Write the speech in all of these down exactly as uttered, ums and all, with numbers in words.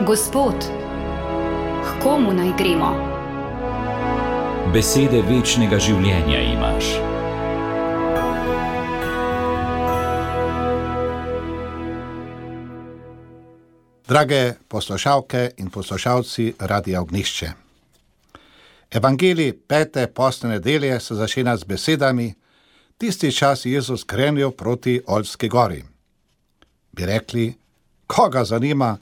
Gospod, k komu naj gremo? Besede večnega življenja imaš. Drage poslušalke in poslušalci Radia Ognjišče. Evangelij pete postne nedelje se začenja z besedami: tisti čas Jezus krenil proti Oljski gori. Bi rekli, koga zanima,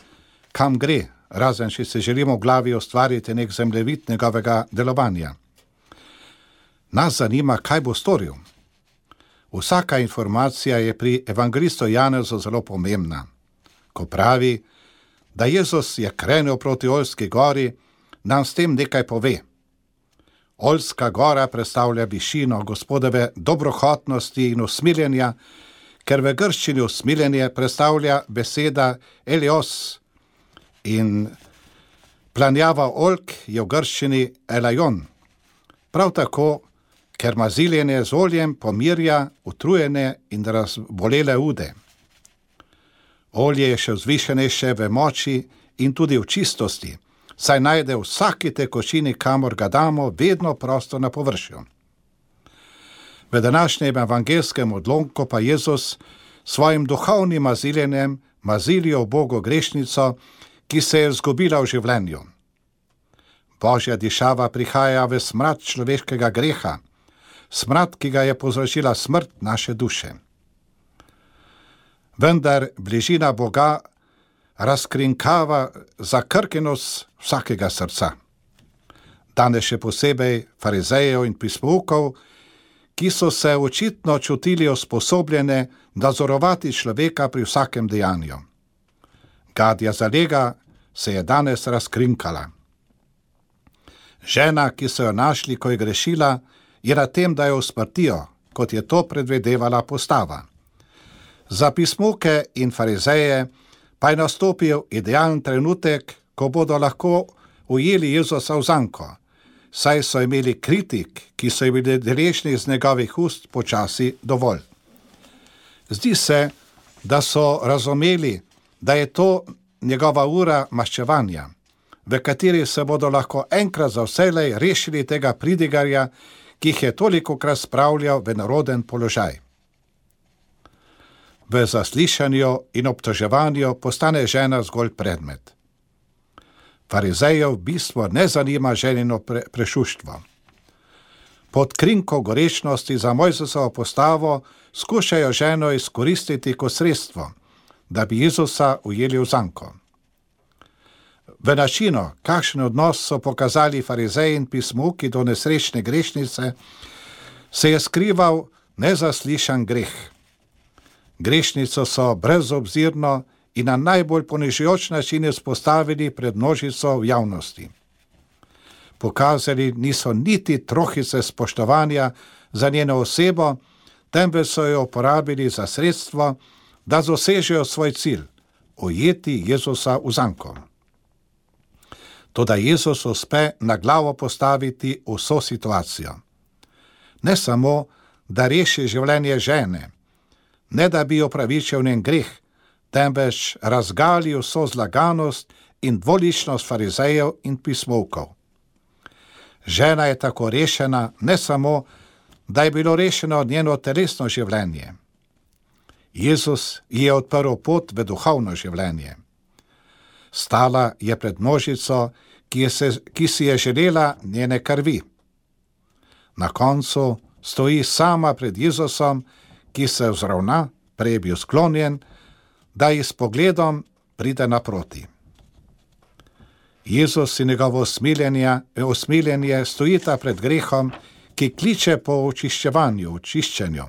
kam gre, razen če se želimo v glavi ustvariti nek zemljevid njegovega delovanja. Nas zanima, kaj bo storil. Vsaka informacija je pri evangelistu Janezu zelo pomembna. Ko pravi, da Jezus je krenil proti Oljski gori, nam s tem nekaj pove. Oljska gora predstavlja višino Gospodove dobrohotnosti in usmiljenja, ker v grščini usmiljenje predstavlja beseda elios in planjava oljk je v grščini elajon. Prav tako, ker maziljenje z oljem pomirja utrujene in razbolele ude. Olje je še vzvišenejše v moči in tudi v čistosti, saj najde v vsaki tekočini, kamor ga damo, vedno prostor na površju. V današnjem evangelskem odlomku pa Jezus svojim duhovnim maziljenjem mazilijo Bogo grešnico, ki se je izgubila v življenju. Božja dišava prihaja v smrad človeškega greha, smrad, ki ga je povzročila smrt naše duše. Vendar bližina Boga razkrinkava zakrkenost vsakega srca. Danes še posebej farizejev in pismoukov, ki so se očitno čutili usposobljene nadzorovati človeka pri vsakem dejanju. Gadja zalega se je danes razkrinkala. Žena, ki so jo našli, ko je grešila, je na tem, da jo usmrtijo, kot je to predvedevala postava. Za pismuke in farizeje pa je nastopil idealen trenutek, ko bodo lahko ujeli Jezusa v zanko, saj so imeli kritik, ki so bili deležni iz njegovih ust, počasi dovolj. Zdi se, da so razumeli, da je to njegova ura maščevanja, v kateri se bodo lahko enkrat za vselej rešili tega pridigarja, ki jih je tolikokrat spravljal v neroden položaj. V zaslišanju in obtoževanju postane žena zgolj predmet. Farizejev v bistvu ne zanima ženino pre, prešuštvo. Pod krinko gorečnosti za Mojzesovo postavo skušajo ženo izkoristiti kot sredstvo, da bi Jezusa ujeli v zanko. V načinu, kakšen odnos so pokazali farizeji in pismuki do nesrečne grešnice, se je skrival nezaslišan greh. Grešnico so brezobzirno in na najbolj ponižujoč način izpostavili pred množico v javnosti. Pokazali niso niti trohice spoštovanja za njeno osebo, temveč so jo uporabili za sredstvo, da dosežejo svoj cilj, ujeti Jezusa v zanko. Toda Jezus uspe na glavo postaviti vso situacijo. Ne samo, da reši življenje žene, ne da bi opravičil njen greh, temveč razgali vso zlaganost in dvoličnost farizejev in pismovkov. Žena je tako rešena, ne samo, da je bilo rešeno njeno telesno življenje. Jezus je odprl pot v duhovno življenje. Stala je pred množico, ki, je se, ki si je želela njene krvi. Na koncu stoji sama pred Jezusom, ki se vzravna, prej je bil sklonjen, da ji s pogledom pride naproti. Jezus in njegovo usmiljenje stojita pred grehom, ki kliče po očiščevanju, očiščenju.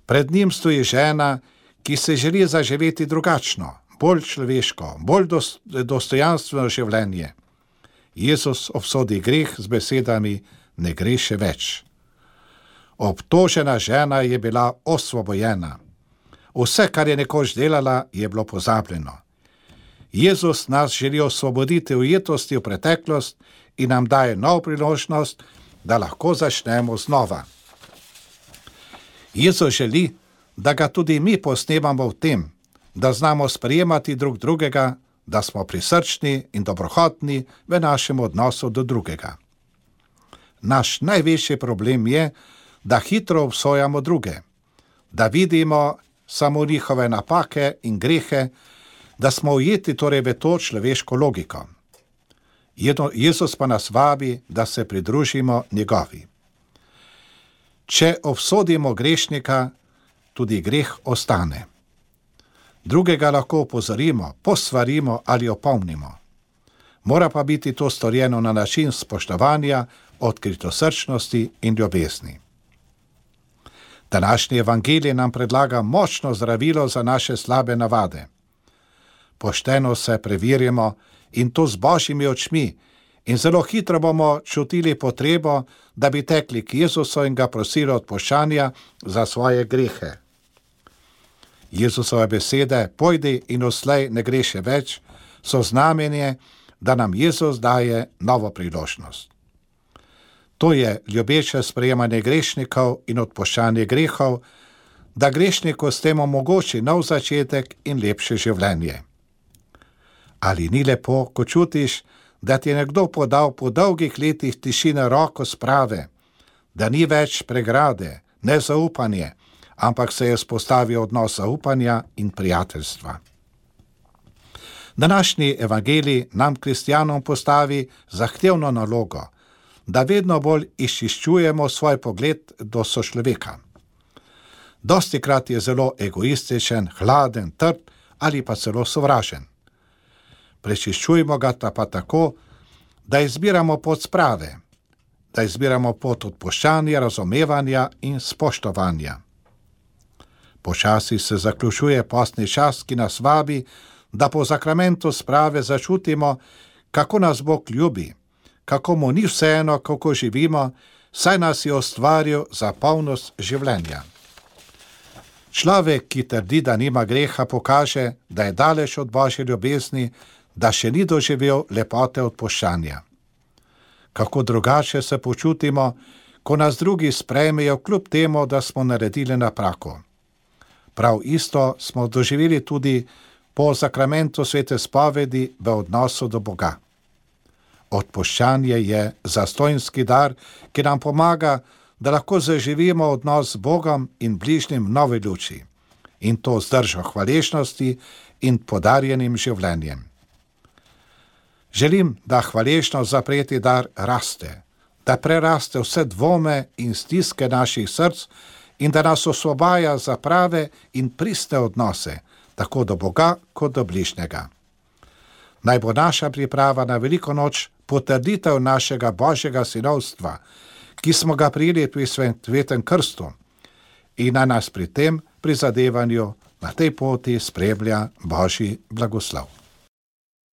Pred njim stoji žena, ki se želi zaživeti drugačno, bolj človeško, bolj dostojanstveno življenje. Jezus obsodi greh z besedami: ne greši več. Obtožena žena je bila osvobojena. Vse, kar je nekoč delala, je bilo pozabljeno. Jezus nas želi osvoboditi ujetosti v preteklost in nam daje novo priložnost, da lahko začnemo znova. Jezus želi, da ga tudi mi posnemamo v tem, da znamo sprejemati drug drugega, da smo prisrčni in dobrohotni v našem odnosu do drugega. Naš največji problem je, da hitro obsojamo druge, da vidimo samo njihove napake in grehe, da smo ujeti torej v to človeško logiko. Jezus pa nas vabi, da se pridružimo njegovi. Če obsodimo grešnika, tudi greh ostane. Drugega lahko opozorimo, posvarimo ali opomnimo. Mora pa biti to storjeno na način spoštovanja, odkritosrčnosti in ljubezni. Današnji evangelij nam predlaga močno zdravilo za naše slabe navade. Pošteno se preverimo in to z božjimi očmi in zelo hitro bomo čutili potrebo, da bi tekli k Jezusu in ga prosili odpuščanja za svoje grehe. Jezusove besede, pojdi in odslej ne greši več, so znamenje, da nam Jezus daje novo priložnost. To je ljubeče sprejemanje grešnikov in odpuščanje grehov, da grešniku s tem omogoči nov začetek in lepše življenje. Ali ni lepo, ko čutiš, da ti je nekdo podal po dolgih letih tišine roko sprave, da ni več pregrade, nezaupanje, ampak se je spostavil odnos zaupanja in prijateljstva. Današnji evangelij nam kristjanom postavi zahtevno nalogo, da vedno bolj izčiščujemo svoj pogled do sočloveka. Dostikrat je zelo egoističen, hladen, trd ali pa celo sovražen. Prečiščujmo ga pa tako, da izbiramo pot sprave, da izbiramo pot odpuščanja, razumevanja in spoštovanja. Počasi se zaključuje postni čas, ki nas vabi, da po zakramentu sprave začutimo, kako nas Bog ljubi, kako mu ni vseeno, kako živimo, saj nas je ustvaril za polnost življenja. Človek, ki trdi, da nima greha, pokaže, da je daleč od božje ljubezni, da še ni doživel lepote odpuščanja. Kako drugače se počutimo, ko nas drugi sprejmejo kljub temu, da smo naredili napako. Prav isto smo doživeli tudi po zakramentu svete spovedi v odnosu do Boga. Odpuščanje je zastonjski dar, ki nam pomaga, da lahko zaživimo odnos z Bogom in bližnjim v novi luči, in to z držo hvaležnosti in podarjenim življenjem. Želim, da hvaležnost za prejeti dar raste, da preraste vse dvome in stiske naših src in da nas osvobaja za prave in priste odnose, tako do Boga kot do bližnjega. Naj bo naša priprava na veliko noč potrditev našega božjega sinovstva, ki smo ga prijeli pri svetem krstu, in naj nas pri tem prizadevanju na tej poti spremlja božji blagoslov.